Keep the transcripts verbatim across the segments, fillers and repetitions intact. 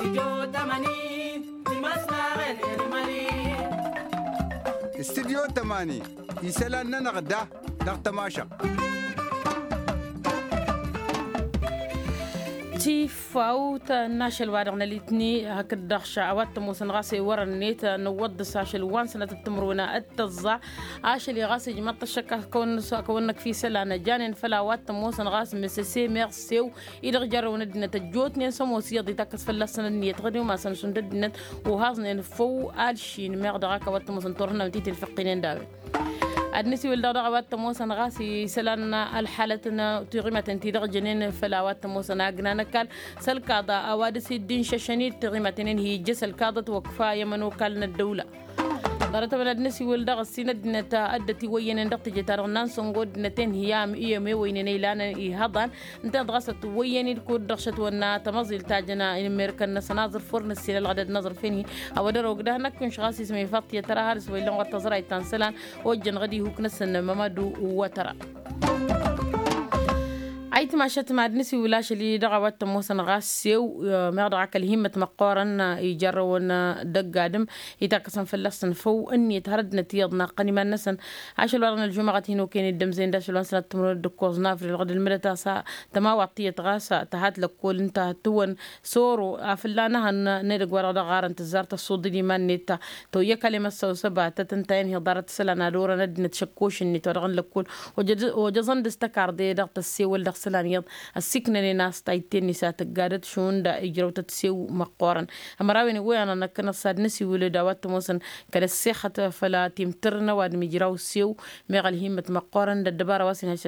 Studyo tămani isălan-nănăɣ da dăɣ-tămašăɣt. Tifawt n-ašăl wa dăɣ-nălitni hakd-dăɣ ša a-wa t-ămoosăn ɣas i-wărăn-net nǝwwăḍ dăɣ-s ašăl wa n-sănătăt timǝrwen d-tăẓẓa. Ašăl-i ɣas ijmăḍ-t ăššăk a kăwăn-năkf isălan ăjanen făll-a-wa t-ămoosăn ɣas mǝsăse meɣ sew-i-dăɣ jarrăwăn ăddinăt ăjjootnen s-ămoos iyyăḍ itakkăs fălla-săn ǝnniyăt ɣǝd i-umasăn šund ăddinăt. Uhaẓnen făw alšin meɣ dăɣ-ak a-wa t-ămoosăn turhǝnna wǝntit ilfăqqinen d-a-wen. Ad-nǝsiwǝl dăɣ-dăɣ a-wa t-ămoosăn ɣas isălan ălḥalăt n-tiɣimaten ti-dăɣ jănen făll-a-wa t-ămoosăn agna n-ăkall s-ălkaḍa a-wa dăr-s dd-inšăšăn-dd tiɣimaten-in hi-ijjăs ălkaḍăt wa ǝkfa i-ămănokal n-ăddăwla. Ḍarăt-ăwăn ad-nǝsiwǝl dăɣ-ǝssin ăddinăt ăddăt iwăyyănen dăɣ-teje-ta-dăɣ n-ansăngo ăddinăt-en hi-am i-ămewăynen ăylanăn ihăḍan ǝnta-en dăɣ-a-s ătwăyyăn-dd kud-dăɣ šătwănna tămăẓilt ta jăn inǝmmerkăn-năsăn aẓrǝf wăr nǝssin ălɣădăd n-aẓrǝf-en-hi. A-wa dăr-ogdăh năkk inšăɣ a-s ismăyfăḍ tiyyăt tăra har s-wa illăn ɣur-tăẓrayt ta n-isălan ojjăn ɣǝd ihuk-năsăn mămădu. Wa tăra ayǝtmašăt mad-nǝsiwǝl ašăl-i-dăɣ a-wa t-ămoosăn ɣas sew meɣ dăɣ-ak ălhimmăt măqqoorăn ijarrăwăn dăgg-adǝm itakkăsăn fălla-săn făw ǝnniyăt hărăt n-ătiyyăḍ naqqăn iman-năsăn. Ašăl wa dăɣ-nălžumăɣăt hin-okăyăn dd-ămzăyăn d-ašăl wa n-sănăt timǝrwen d-ǝkkoẓ n-avril dăɣ-dd-ălmǝdăt a-s tămawăḍt tiyyăt ɣas tăhat lăkkol ǝnta tǝwăn soro a fălla n-ehăn n-edăgg wa dăɣ-dăɣ ɣarăn tǝzzar tăssuḍǝl iman-net ta toyya kăl-emăssăw s-ăbatăt ǝnta-en hi-ḍarăt isălan ad-orăn ăddinăt šăkkoš-net wa dăɣ-nǝllăkkol. Ojăẓăn d-s-tăkarḍe dăɣ-tăssewăl dăɣ-isălan iyyăḍ ăssiiknănen a-s tayǝtte-net a tǝggadăt šund ijrăw-tăt sew măqqoorăn. Ămărawen iwwăyăn ad-năkkănăɣ s-ad-nǝsiwǝl d-a-wa t-ămoosăn kăl-ăssexăt făll-timtǝr n-ăwadǝm ijraw sew meɣ ălhimmăt măqqoorăn d-ăddăbara wa s-inhăj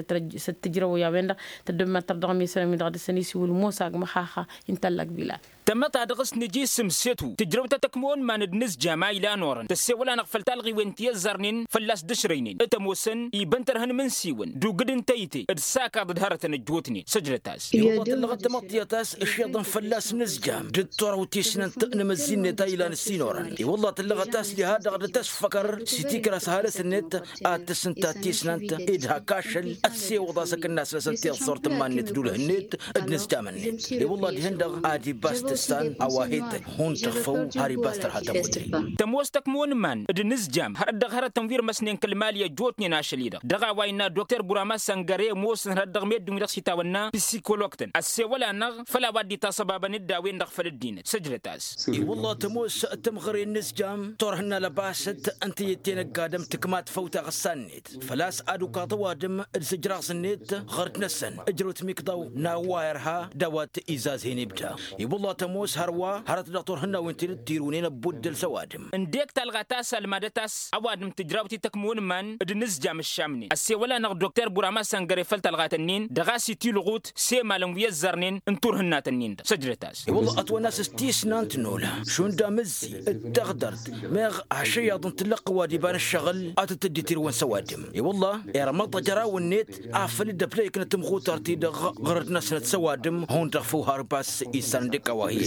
s-ăttăjrăw i-a-wen-dăɣ. Tăddǝmmăt tărdăɣ mi-sănăm-i-dăɣ dăr-săn isiwǝl mosa g-măxaxa. Intăllăk bilal. Tămăḍt a dăɣ-s nǝja isǝm setu tǝjrăw ta tăkmăwăn iman d-inǝzjam a ilan orăn tăssewăl-anăɣ făll-talɣiwen ti ăzzarnen fălla-s dăšrăynen. T-ămoosăn ibăn tărhǝn imǝnsiwăn d-ugǝd n-tăyǝte d-sakaḍ d-hărătăn ăjjootnen săjdăt-as. I-wălla tǝllăɣăt tamăḍt tiyyăt a-s ǝšyăḍăn fălla-s inǝzjam d-ăṭṭoraw tisnant n-imǝzzi-net a ilan ǝssin orăn. I-wălla tǝllăɣăt a-s diha-dăɣ dd-tăsfăkăr s-itikrăs ăhalǝs-net ad-tǝsǝnta tisnant. Ed hak ašăl ăssewăḍ-as akǝnnas-năsăn tiẓẓurt n-iman-net d-ulh-net d-inǝzjam-net. I-wălla dihen-dăɣ ad-ibbas tǝssan a-wa he-tăn hundăɣ făw har ibbas tărha tămut. Tămoos tăkmăwăn iman d-inǝzjam hărăt dăɣ-hărătăn wi ărmăsnen kăl-mali ăjjootnen ašăl-i-dăɣ dăɣ-a-wa innă dokter burama săngăre ămoosăn hărăt dăɣ-meddǝn wi-dăɣ s-itawănna psikolog-tăn ăssewăl-anăɣ făll-a-wa dd-itaṣăbabăn d-a-wen-dăɣ făll-ăddinăt săjdăt-as. I-wălla tămoos tămɣăre n-inǝzjam turhǝnna lăbasăt n-tǝyyǝtte n-ăgg-adǝm tǝkmat făw taɣǝssa-net făl-a-s ad-ukaḍ ăwadǝm d-sǝjraẓ-net ɣăr-dd-năsăn ǝjrăw timikḍaw n-a-wa irha d-a-wa t-izazhen ibda. I-wălla tămoos hărwa hărăt dăɣ-turhǝnnawen ti dd-tirunen ăbbuddăl s-ăwadǝm. Ǝndek talɣa ta s-almadăt a-s ăwadǝm tǝjrawt i-tăkmăwăn iman d-inǝzjam ǝššamnen ăssewăl-anăɣ dokter burama săngăre făll-talɣat-ǝnnin dăɣ-a-s itilɣut s-emalăn wi ăzzărnen n-turhǝnnat-ǝnnin-dăɣ săjdăt-as. I-wălla ătwănna a-s s-tisnant n-ola šund amǝzzi d-taɣdărt meɣ ašăyaḍ n-tǝllăqqǝw ad-iba n-ǝššăɣǝl ad-tǝttǝddi tirǝwăn s-ăwadǝm. I-wălla irmăḍ ajăraw-net afăl dd-ăbdăyăknăt tǝmɣutart-i-dăɣ ɣărăt-năsnăt s-ăwadǝm hundăɣ făw har iba a-s issan d-ikawahi.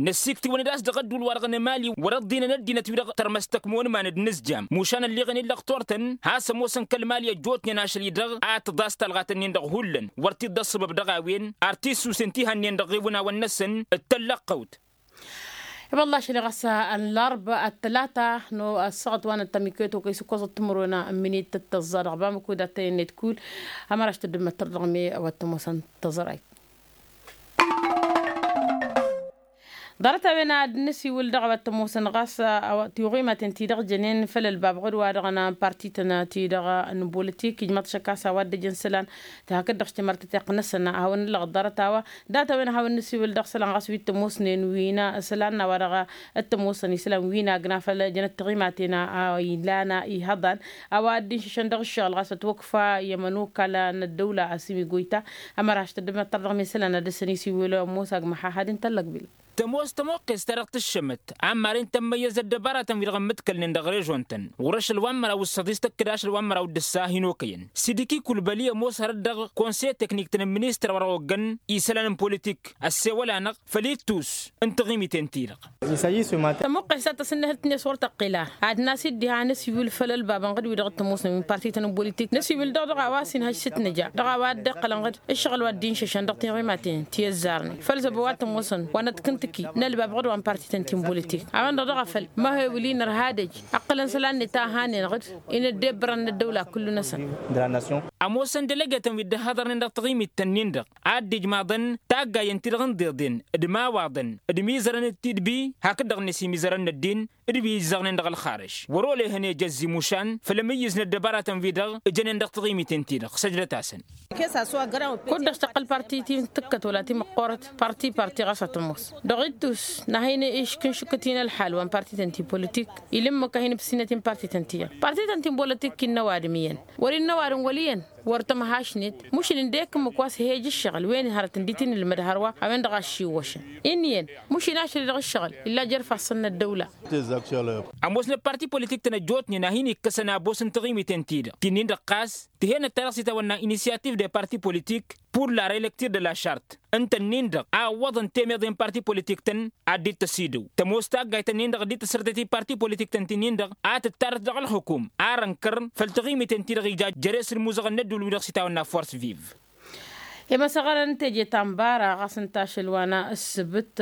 Năssiiktiwăn-dd a-s dăɣ-ădduul-wa-dăɣ n-emali wăr-ăḍḍinăn ăddinăt-wi-dăɣ tărmăs tăkmăwăn iman d-inǝzjam mušan ălleɣăn i-ăllăɣ turtăn has-ămoosăn kăl-mali ăjjootnen ašăl-i-dăɣ ad-tǝḍas talɣat-ǝnnin-dăɣ hullan wăr t-dd-ăṣṣăbăb dăɣ-a-wen ar t-issusen tihannen dăɣ-iwǝnawăn-năsăn d-tăllăqqăwt. I-wălla ašăl-i ɣas ăllarba ăttălata n-ăssaɣăt wa n-ăttămikăyăt okăy s-ǝkkoẓăt timǝrwen n-minit d-tăẓẓa dăɣ-bamăko d-attăyăn-net kull. Ămăraš tăddǝmmăt tărdăɣme a-wa t-ămoosăn tăẓrayt. Ḍarăt-a-wen ad-nǝsiwǝl dăɣ-a-wa t-ămoosăn ɣas tiɣimaten-ti-dăɣ jănen făll-ălbab ɣud-wa-dăɣ n-partităn-ti-dăɣ n-bolitik ijmăḍ šăkk a-s a-wa dd-ăjăn isălan. Tehăkăt dăɣ-s timărtăteɣt-năsăn a hawăn-nǝllăɣ ḍarăt-a-wa. Dat-a-wen a hawăn-nǝsiwǝl dăɣ-isălan ɣas wi t-ămoosnen wi n-isălan n-a-wa-dăɣ t-ămoosăn isălan wi n-agna făll-jănăt tiɣimaten a ilan ihăḍan a-wa dd-inšǝšăn dăɣ-ǝššăɣǝl ɣas ătwăkfa i-ămănokal n-ăddăwla asǝmi goyta. Ămăraš tăddăbnăt tărdăɣ mi-isălan ad-dăr-săn isiwǝl ămoos agmăxaxad-in tăllăgbil. Tămoos tămoqqes ta dăɣ-tǝššămăt ammaren tămmăyyăz ăddăbaratăn wi-dăɣ ǝmmǝḍkălnen dăɣ-režon-tăn ɣur-ašăl wa n-măraw d-săḍis tăkk-dd ašăl wa n-măraw d-ǝssa hin-okăyăn sidiki kulbăli ămoos hărăt dăɣ-konse teknik-tăn n-ministăr wa dăɣ-oggăn isălan n-politik ăssewăl-anăɣ făll-ittus n-taɣimiten-ti-dăɣ. Tămuqqes ta tăsǝnnăhălt-net wăr tăqqel a ad-nas-dd diha năsiwǝl făll-ălbabăn ɣǝd-wi-dăɣ t-ămoosăn wi n-partităn n-politik năsiwǝl dăɣ-dăɣ a-wa s-inhăj s-tǝtnăja dăɣ-a-wa dd-iqqălăn ɣǝd ǝššăɣǝl wa dd-inšăšăn dăɣ-tiɣimaten ti ăzzarnen făll-zăbo wa t-ămoosăn wa năḍkǝnt. N-ălbab ɣǝd wa n-parti-tăn ti n-politik a-wen-dăɣ dăɣ-afăl ma he-wǝli nărha ad-ej ǝqqǝlăn isălan-net a hanen-dăɣ-dd. Inăddebbărăn n-ăddăwla kullu-năsăn. Ămoosăn delegetăn wi dd-ăhhăḍărnen dăɣ-taɣimit-tăn-in-dăɣ a dd-ijmaḍăn taggayen-ti-dăɣ n-deḍen d-imawaḍăn d-imizărăn d-tidbi hakd-dăɣ-net imizărăn n-ăddin d-wi izzăɣnen dăɣ-ălxarăš wăr-olehăn ejăzzi mušan făll-amǝyyǝz n-ăddăbaratăn-wi-dăɣ ǝjănen dăɣ-taɣimiten-ti-dăɣ săjdăt-asăn. Kud-dăɣ tăqqăl parti ti n-tǝkkăt wăla ti măqqoorăt parti parti ɣas ad-tămoos dăɣ-ittus n-ad-hin-iškǝnšǝkǝt-in ălxal wa n-parti-tăn ti n-politik. Ila ǝmmǝk ad-hin-ǝbsinăt-in parti-tăn ti-dăɣ parti-tăn ti n-politik innă ăwadǝm iyyăn wăr-innă ăwadǝm wăl' iyyăn. Wăr tămhăšnet mušǝn ǝndek ǝmmǝk wa s-he-ăj ǝššăɣǝl wen hărăt ǝndi t-in-ǝlmăd hărwa a-wen-dăɣ a ăššiwwăšăn. Inn'-iyyăn mušǝn ašăl-i-dăɣ ǝššăɣǝl illa jer-ifassăn n-ăddăwla. Ămoosnăt parti politik-tăn ăjjootnen a hin-ikkăsăn abos n-taɣimiten-ti-dăɣ ti-nin-dăɣ ɣas tǝhenăt ta dăɣ-s itawănna inisyativ de parti politik pur la reelektir de la šart ǝnta-nin-dăɣ a ǝwwăḍăn temeḍe n-parti politik-tăn. Ad-dd-tăsidăw tămoos taggayt-ǝnnin-dăɣ dd-tăsrătet i-parti politik-tăn ti-nin-dăɣ a tǝttarăt dăɣ-ălxukum ar ănkăr făll-taɣimiten-ti-dăɣ ija jer-e-s ǝlmuzăɣăn n-ădduul-wi-dăɣ s-itawănna force vive. Imăsăɣărăn teje ta n-bara ɣas ǝnta ašăl wa n-ăssǝbǝt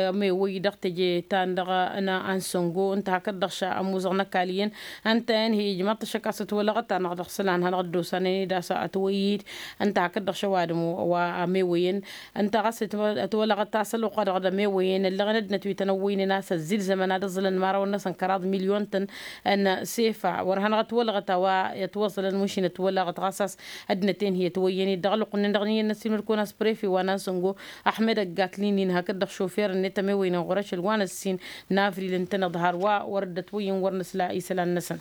ămewăy dăɣ-teje ta n-dăɣ-n ansăngo ǝnta hakd-dăɣ ša ămuzăɣ n-ăkall iyyăn. Ǝnta-en hi-ijmaḍ-t ăššăk a-s ătwălăɣăt-anăɣ dăɣ-isălan hanăɣ-dd-osanăn-dd a-s ătwăyyăd ǝnta hakd-dăɣ šăwadǝm wa ămewăyăn. Ǝnta ɣas ătwălăɣăt a-s ălwăqq-a-dăɣ d-ămewăyăn ăllăɣăn ăddinăt wi tăn-ăwwăynen a-s ăzzilzămăn ad-ǝẓǝlăn imărawăn-năsăn kăraḍ milyon-tăn n-sefa wăr hanăɣ-ătwălăɣăt a-wa ătwăẓǝlăn mašin ătwălăɣăt ɣas a-s ăddinăt-en hi-ătwăyyăn-dd dăɣ-ălwăqq-nin-dăɣ n-iyyăn n-ăssiilmăd-kăwăn a-s prefe wa n-ansăngo ăxmed ăggatli-nin hakd-dăɣ šofer-net ămewăynen ɣur-ašăl wa n-ăssin n-avril ǝntăneḍ hărwa wăr dd-ătwăyyăn wăr nǝsla isălan-năsăn.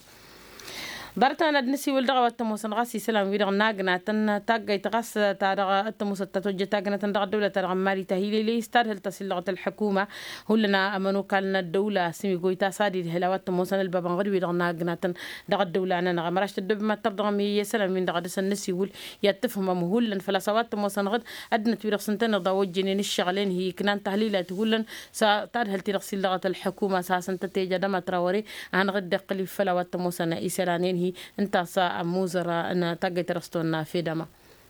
Ḍarăt-anăn ad-nǝsiwǝl dăɣ-a-wa t-ămoosăn ɣas isălan-wi-dăɣ n-agnatăn taggayt ɣas ta dăɣ-t-ămoosăt ta tojjăt agnatăn dăɣ-ăddăwlăt-ta-dăɣ n-mali ta hi-lele s-tadhǝlt tasǝllăɣăt ălḥukuma. Hullan ămănokal n-ăddăwla s-imigoy ta s-ad-idhǝl a-wa t-ămoosăn ălbabăn ɣǝd-wi-dăɣ n-agnatăn dăɣ-ăddăwla-nănăɣ ămăraš tăddobem ad-tărdăɣăm i-isălan-win-dăɣ a dăr-săn nǝsiwǝl. I-ad-tǝfhǝmăm hullan făl-a-s a-wa t-ămoosăn ɣǝd ăddinăt wi-dăɣ s-ǝntăneḍ a ojjănen ǝššăɣǝl-en hi-iknan tahlilat hullan s-tadhǝlt-i-dăɣ s-illăɣăt ălḥukuma s-hasăn-tăt-ija d-amătra wăr-e a hanăɣ-dd-iqqǝl făll-a-wa t-ămoosăn isălan-en-hi. Ǝnta a-s ămuzăr n-taggayt ta dăɣ-s tăwănna fedăma.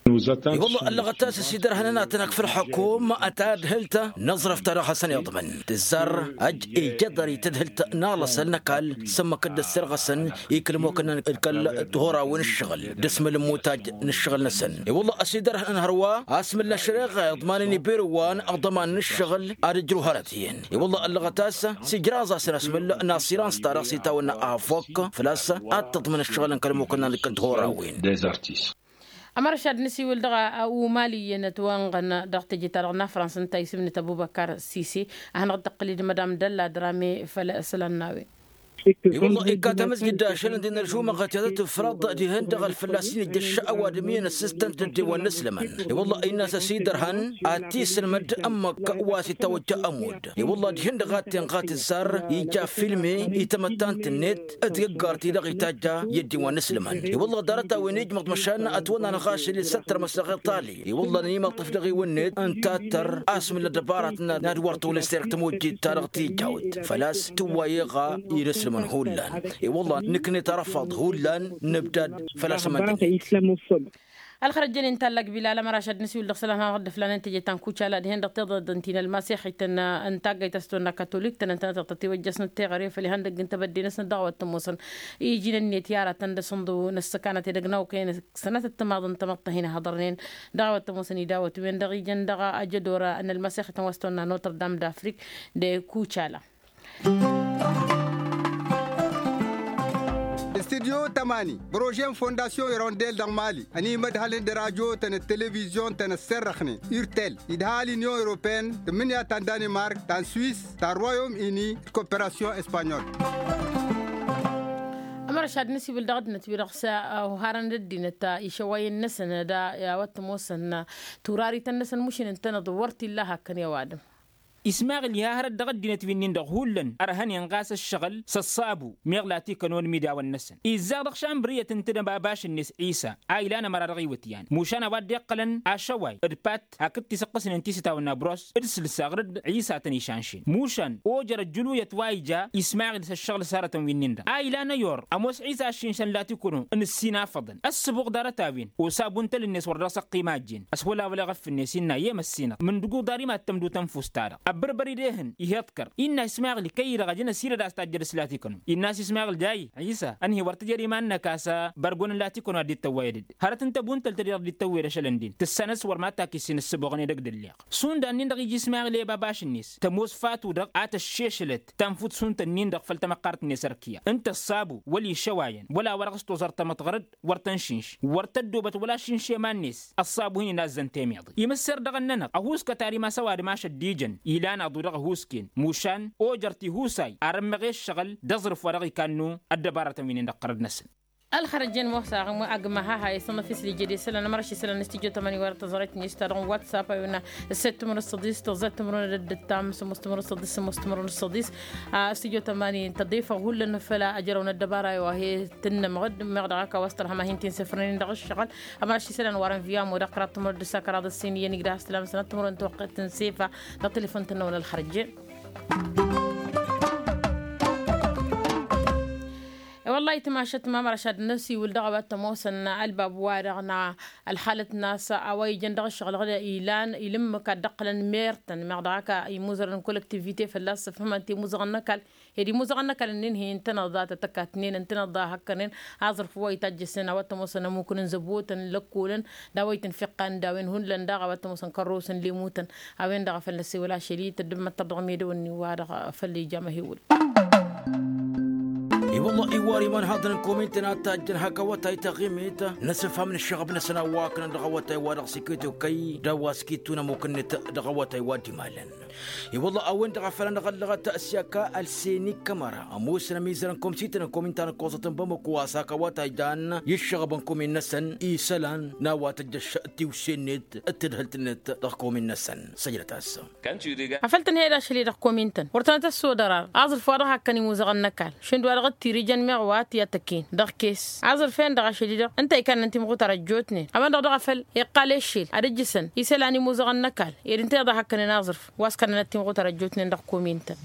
I-wălla ăllăɣăt a-s ăsidărhăn ănatănăk făll-ălḥukum ad-tadhǝlt n-aẓrăf ta dăɣ-hasăn-iḍmăn tǝzzar ăj ija ḍarăy tadhǝlt n-alăsăl n-ăkall s-ǝmmǝk dd-ăssirɣăsăn i-kăl-ămmukăn n-kăl-tihorawen ǝššăɣǝl d-asmăl n-imutaj n-ǝššăɣǝl-năsăn. I-wălla ăsidărhăn hărwa asmǝl n-ašăreɣa iḍmanăn ibirǝwăn ăḍăman n-ǝššăɣǝl ad-ǝjrǝw hărăt iyyăn. I-wălla ăllăɣăt a-s s-ijraẓ-asăn asmǝl n-asirans ta dăɣ-s itawănna afok făl-a-s ad-tǝḍmǝn ǝššăɣǝl n-kăl-ămmukăn n-kăl-tihorawen. Ămărăš ad-nǝsiwǝl dăɣ-a umali iyyăn ătwănɣăn dăɣ-teje-ta-dăɣ n-afrans ǝnta a isǝmnǝt ăbubăkar sise a hanăɣ-dd-tăqqǝl-dd mădam dălla drame făll-isălan n-a-wen. I-wălla ikka tamăzjăt d-ašăl ǝnta-en ălžumăɣăt i-ad-tǝfrăḍ dihen-dăɣ ălfălla s-in-ijjăš ăwadǝm iyyăn ăssistăn d-ăddewăn n-aslămăn. I-wălla innă a-s ăsidărhăn ad-t-isǝlmăd ǝmmǝk wa s-itawăjja ămudd. I-wălla dihen-dăɣ a t-inɣa tǝzzar ija filme i-tamăttant-net d-găggart-i-dăɣ itajja i-ăddewăn n-aslămăn. I-wălla ḍarăt-a-wen ijmăḍ măšan ătwănna n-aɣašăl i-săttăr măsăɣ iṭali. I-wălla n-imăṭṭăf dăɣ-iwǝnnet ǝnta a t-tăr asmǝl n-ăddăbarat n-ad-wăr tolăs terk tămojjit-ta-dăɣ tijawt făl-a-s tǝwway iɣa i-inǝslǝmăn hullan. I-wălla nǝknet arăfaḍ hullan nǝbdad făl-a-s ămăndănet. Ălxărăjjăn inta ăllăg bilal ămăraš ad-nǝsiwǝl dăɣ-isălan hanăɣ-dd-ăflanăn teje ta n-kucala dihen-dăɣ tiḍăḍ ǝnta-i n-ălmasixit n-tagga ităstonna katolik tăn-ăntănăt dăɣ-tătiwăjjăsnăt teɣăre făll-ihăndăgg n-tebădde-năsnăt dăɣ-a-wa t-ămoosăn iji n-ǝnniyăt i-aratăn d-asǝnḍǝw n-ăssăkanăt edăgg n-awkăyăn. Sănatăt timaḍăn tamăḍt ta hin-ihăḍărnen dăɣ-a-wa t-ămoosăn idawăt-wen-dăɣ ijăn dăɣ-ajădor n-ălmasixit n-wa s-tăwănna notre-dame d-afrik de kucala. Studyo tămani prože n-fondasyon irondel dăɣ-mali ănimădhălăn d-radyo-tăn d-televizyon-tăn ăsserrăxnen urtel idha l-inyon europeen tǝmmǝnǝya ta n-danimark ta n-swis ta n-royom ini d-koperasyon espanyol. Ămărăš ad-nǝsiwǝl dăɣ-ăddinăt wi-dăɣ s-oharăn d-ăddinăt išăwayăn-năsăn d-a-wa t-ămoosăn turarităn-năsăn mušin ǝntăneḍ wăr t-illa hakkăn i-ăwadǝm. Ismaɣil iha hărăt dăɣ-ăddinăt wi-nin-dăɣ hullan ărhănen ɣas ăššăɣǝl s-ăṣṣabu meɣ la t-ikănon imidawăn-năsăn izzaɣ dăɣ-šambri i-ad-tǝntǝdăm abaš-net ɣisa a ilan ămăra dăɣ-iwǝtyan mušan a-wa dd-iqqălăn ašăway d-pat hakd tisǝqqǝsnen ti s-itawănna bros d-sǝlsaɣ rǝdd ɣisa a tăn-išanšen mušan ojăr ăjjǝluyăt wa ija ismaɣil s-ăššăɣǝl s-hărătăn wi-nin-dăɣ a ilan ăyor ămoos ɣisa aššinšăn la t-ikănon n-ǝssin afăḍăn ăssǝbuɣ ḍarăt-a-wen osabu n-tăl-net wăr dăɣ-s ăqqim a ăjjeen ăswălawăl eɣăf-net innă i-emăssinăɣ mǝndǝgu ḍarima d-tămdut ănfus-ta-dăɣ. Bărbăr-i d-ehăn ih'-iḍkăr innă ismaɣli kăy-i-dăɣ ajăn ăsidăd a-s tajjăd s-latikănu. Innă a-s ismaɣli d-a-i issa ănhăy wăr tǝjăr iman-năk a-s bărgon n-latikănu ad-dd-tăwwăyădăd. Hărăt n-tăbuntăl-ta-dăɣ dd-tăwwăyăd ašălăn-dd tǝssanăs wăr ma takis-in ǝssǝboɣăn edăgg d-ǝlleɣ. Šund a-nin-dăɣ iji ismaɣli i-baba ašǝnnes tămoos fatu-dăɣ a tăššešălăt tanfut šund-tăn-in-dăɣ făll-tamăqqart-net ărkǝya ǝnta ăṣṣabu wăla išăwayăn wăla wa dăɣ-s toẓăr tamăḍɣărăd wăr tăn-šǝnš wăr tăddoobăt wăla ašǝnš i-iman-net. Ăṣṣabu hin-inazzăn temeḍe imǝsser dăɣ-ănnănăɣ ăhuuskat ar imas ăwadǝm ašăl d-ijăn ilan aḍu dăɣ-ăhuusken mušan ojăr tihusay ar ǝmmăɣ i-ǝššăɣǝl d-aẓrǝf wa dăɣ-ikannu. Ăddăbarătăn wi-nin dăɣ-tărăd-năsăn. Ălxărăjjen mosa ăgg ma ha-ha isănnăf islijăd isălan ămăra ašisălan n-studyo tămani wăr-tăẓrăyt n-istadăɣ n-whatsapp a iwǝnna. Ǝsset timǝrǝd săḍis tăẓẓat timǝrǝd ăddăttam sămos timǝrǝd săḍis sămos timǝrǝd săḍis. A studyo tămani tăḍifăɣ hullan făll-ajrăw n-ăddăbara i-wa he-tǝnnămăɣ-dd meɣ dăɣ-aka wa s-tărhăm a hin-t-insefa n-inǝndăɣ ǝššăɣǝl. Ămăra ašisălan wăr-ănviya ămmu dăɣ-kăraḍ timǝrǝd d-ǝssa kăraḍ ǝssin iyyăn igdăh a-s tǝlam sănăt timǝrǝd n-tawăqqet tǝnsefa. Dăɣ-telefon tănnăwăn ălxărăjjen. I-wăllah itmašăt ma măraš ad-năsiwǝl dăɣ-a-wa t-ămoosăn ălbab-wa-dăɣ n-ălxalăt n-a-s a-wa ijăn dăɣ-ǝššăɣǝl dăɣ-ilan ilǝmmǝk ad-dd-ăqqǝlăn mer-tăn meɣ dăɣ-aka imuzărăn n-kollektivite fălla-s săfhămăn-t i-imuzăɣăn n-ăkall. Ed imuzăɣăn n-ăkall ǝnnin-hi ǝntăneḍ a tăt-ăkatnen ǝntăneḍ a hăkkănen aẓrǝf wa itajjăsnen a-wa t-ămoosăn ămmukǝn n-zăbotăn lăkkolăn d-a-wa itǝnfiqqan d-a-wen hullan daɣ a-wa t-ămoosăn kărrosăn lemutăn. A-wen-dăɣ a făl năsewăl ašăl-i tăddǝmmăttăr dăɣ-medăwăn-nin-wa-dăɣ făll-ija măhewăl. I-wălla iwar iman haḍăn n-komin-tăn ad-tajjăn hak awătay taɣimit n-asǝfham n-ǝššăɣăb-năsăn a-wa kănăn dăɣ-awătay wa dăɣ-s iket okăy d-a-wa s-kitun ămmuk-net dăɣ-awătay wa dd-imalăn. I-wălla a-wen-dăɣ a făl anăɣ-ăllăɣăt s-i-ăkall seni kămăra ămoosăn amizăr n-komsităn n-komin ta n-ǝkkoẓăt n-bamăko a-s hak awătay jan i-ǝššăɣăb n-komin-năsăn isălan n-a-wa tăjjăš tiwse-net d-tadhǝlt-net dăɣ-komin-năsăn. Săjdăt-as. Afăl tǝnhăyăd ašăl-i-dăɣ komin-tăn wăr tănăt-ăssodăr ar aẓrǝf wa dăɣ-hakkăn imuzăɣăn n-ăkall šund wa dăɣ-dd-tirǝjăn meɣ wa t-i-ad-tăkkin dăɣ-kes. Aẓrǝf-en-dăɣ ašăl-i-dăɣ ǝnta ikannăn timɣutar ăjjootnen a-wen-dăɣ daɣ a făl iqqal eššel ad-ǝjjǝsăn isălan imuzăɣăn n-ăkall ed ǝnta iḍa hakkănen aẓrǝf wa s-kannănăt timɣutar ăjjootnen dăɣ-komin-tăn.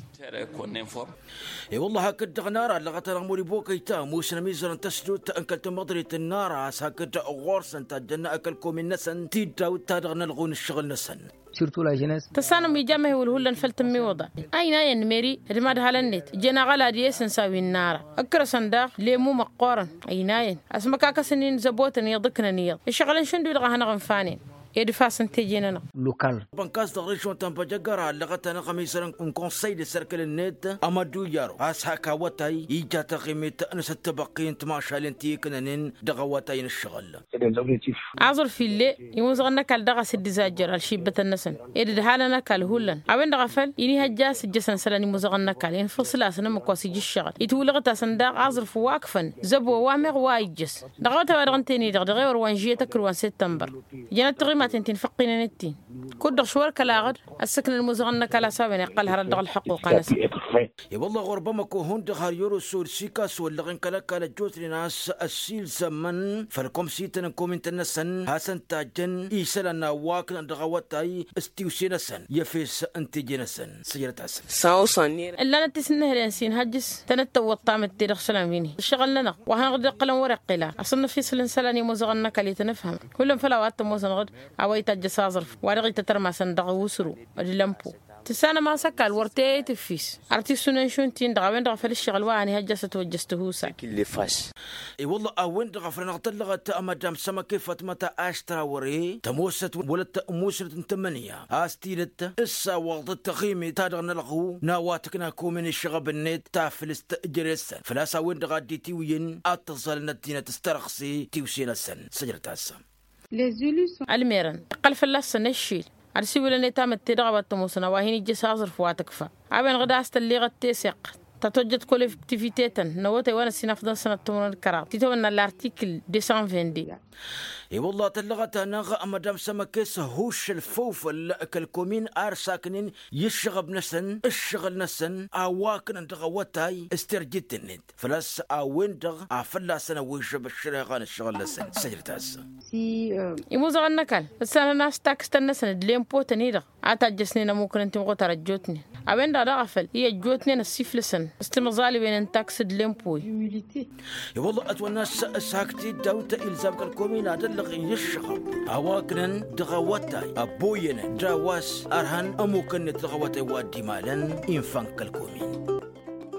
I-wălla hakd-dăɣ nara ăllăɣăt-anăɣ mări bokăy ta ămoosăn ămizăr n-tăsdut n-kăl-tamăḍrit n-nara a-s hakd ɣur-săn tajjăn kăl-komin-năsăn tiddawt ta dăɣ-nălɣun ǝššăɣǝl-năsăn. Tǝssanăm ija măhewǝl hullan făll-tǝmmiwǝḍa. Ăynayăn meri d-imadhalăn-net ǝjăn aɣălad i-esǝnsa wi n-nara ǝkkărăsăn daɣ lemu măqqoorăn. Ăynayăn ăsmăkakăsăn-in zăbotăn iyyăḍ ǝknăn iyyăḍ ǝššăɣǝlăn šund-wi-dăɣ a hanăɣ-ǝnfanen. Ed ǝfasăn teje-nănăɣ. Lokal. Bănkas dăɣ-režion ta n-băjăgăra ăllăɣăt-anăɣ ămizăr n-konsăy d-asărkǝl-net amăddu iyaro a-s hak awătay ija taɣimit n-asăttăbăqqi n-timašalen ti ǝknănen dăɣ-awătay n-ǝššăɣǝl. Aẓrǝf ill'-e imuzăɣăn n-ăkall daɣ a-s dd-izajjăr ălšibbătăn-năsăn ed ǝdhalăn ăkall hullan a-wen-dăɣ a făl inihăjja a-s ǝjjăsăn isălan imuzăɣăn n-ăkall infǝṣǝl-asăn ǝmmǝk wa s-ija ǝššăɣǝl itwǝlăɣăt-asăn daɣ aẓrǝf wa ǝkfăn zăbo wa meɣ wa ijjăs. Dăɣ-awătay wa dăɣ-ǝnta-en-i-dăɣ dăɣ-ewăr wa n-žiyet ăkrǝw wa n-săttămbăr ǝjănăt tiɣimaten ti n-făqqinănet-in. Kud-dăɣ šwăr kăla aɣǝd ăssǝknăn imuzăɣăn n-ăkall a-s a-wen iqqăl hărăt dăɣ-ălḥăqquqa-năsăn. I-wălla ɣur-bamăko hundăɣ har i-oroso d-sikaso ăllăɣen kăl-ăkall ăjjootnen a-s ăssiilzămăn făll-komsităn n-komintăn-năsăn hasăn-tajjăn isălan n-a-wa ǝknăn dăɣ-awătay s-tiwse-năsăn i-efes n-teje-năsăn. Săjdăt-asăn. Ǝllanăt tisǝnnǝhǝlen s-inhăjjǝs tănăt-tăwwăḍ tamǝtte dăɣ-isălan wi n-hi ǝššăɣǝl-nănăɣ wa hanăɣ-dd-iqqălăn wăr-iqqǝl a ăṣǝnnăf isǝl n-isălan imuzăɣăn n-ăkall i-tăn-ǝfhămăn hullan făll-a-wa t-ămoosănăɣ-dd a-wa itajjăs aẓrǝf wa dăɣ-itătărmasăn dăɣ-usǝru d-lămpo. Tǝssanăm a-s ăkall wăr teyăyăt ǝffis ar tisunen šund-tin-dăɣ a-wen-dăɣ a făl ǝššăɣǝl wa han ihăjja a-s ătwăjjăš tihusay. I-wălla a-wen-dăɣ a făl anăɣ-tăllăɣăt madam sămăke fatmăta aštrawăre tămoosăt wălăt musnăt n-tămănǝya a-s tidăt ǝssawaḍăt taɣimit-ta-dăɣ n-ălɣu n-a-wa tǝkna komin išăɣăb-net taflǝst jere-săn făl-a-s a-wen-dăɣ a dd-itiwǝyăn ad-t-ăẓẓalăn ăddinăt s-tărăɣse tiwse-năsăn. Săjdăt-asăn. Ălmerăn iqqăl fălla-săn ăššil ad-siwǝlăn i-tamǝtte dăɣ-a-wa t-ămoosăn a-wa hin-ijjăš aẓrǝf wa tǝkfa a-wen-dăɣ d-a-s tălleɣăt teseɣt ta tojjăt kollektivite-tăn n-awătay wa n-ăssinafḍăn sănăt timǝrwen d-kăraḍ titawănna l'artikǝl deux cent vingt-deux. I-wălla tăllăɣăt-anăɣ madam sămăkes huššăl făw făll-kăl-komin ar saknen i-ǝššăɣăb-năsăn ǝššăɣǝl-năsăn a-wa ǝknăn dăɣ-awătay s-terjit-net făl-a-s a-wen-dăɣ a fălla-săn ăwwǝžžăb ăššăreɣa n-ǝššăɣǝl-năsăn. Săjdăt-asăn. Imuzăɣăn n-ăkall ǝssanăn a-s takǝstăn-năsăn d-lempotăn-i-dăɣ A tajjăsnen ămuknăn timɣutar ăjjootnen a-wen-dăɣ daɣ a făl i-ăjjootnen ăssiflăsăn s-timẓaliwen n-taks d-lempuwe. I-wălla ătwănna s-ăshak tiddawt ilzam kăl-komin ad-ăllăɣen i-ǝššăɣăb a-wa ǝknăn dăɣ-awătay ăbboyănăn d-a-wa s-ărhăn ămukăn-net dăɣ-awătay wa dd-imalăn. Infan kăl-komin.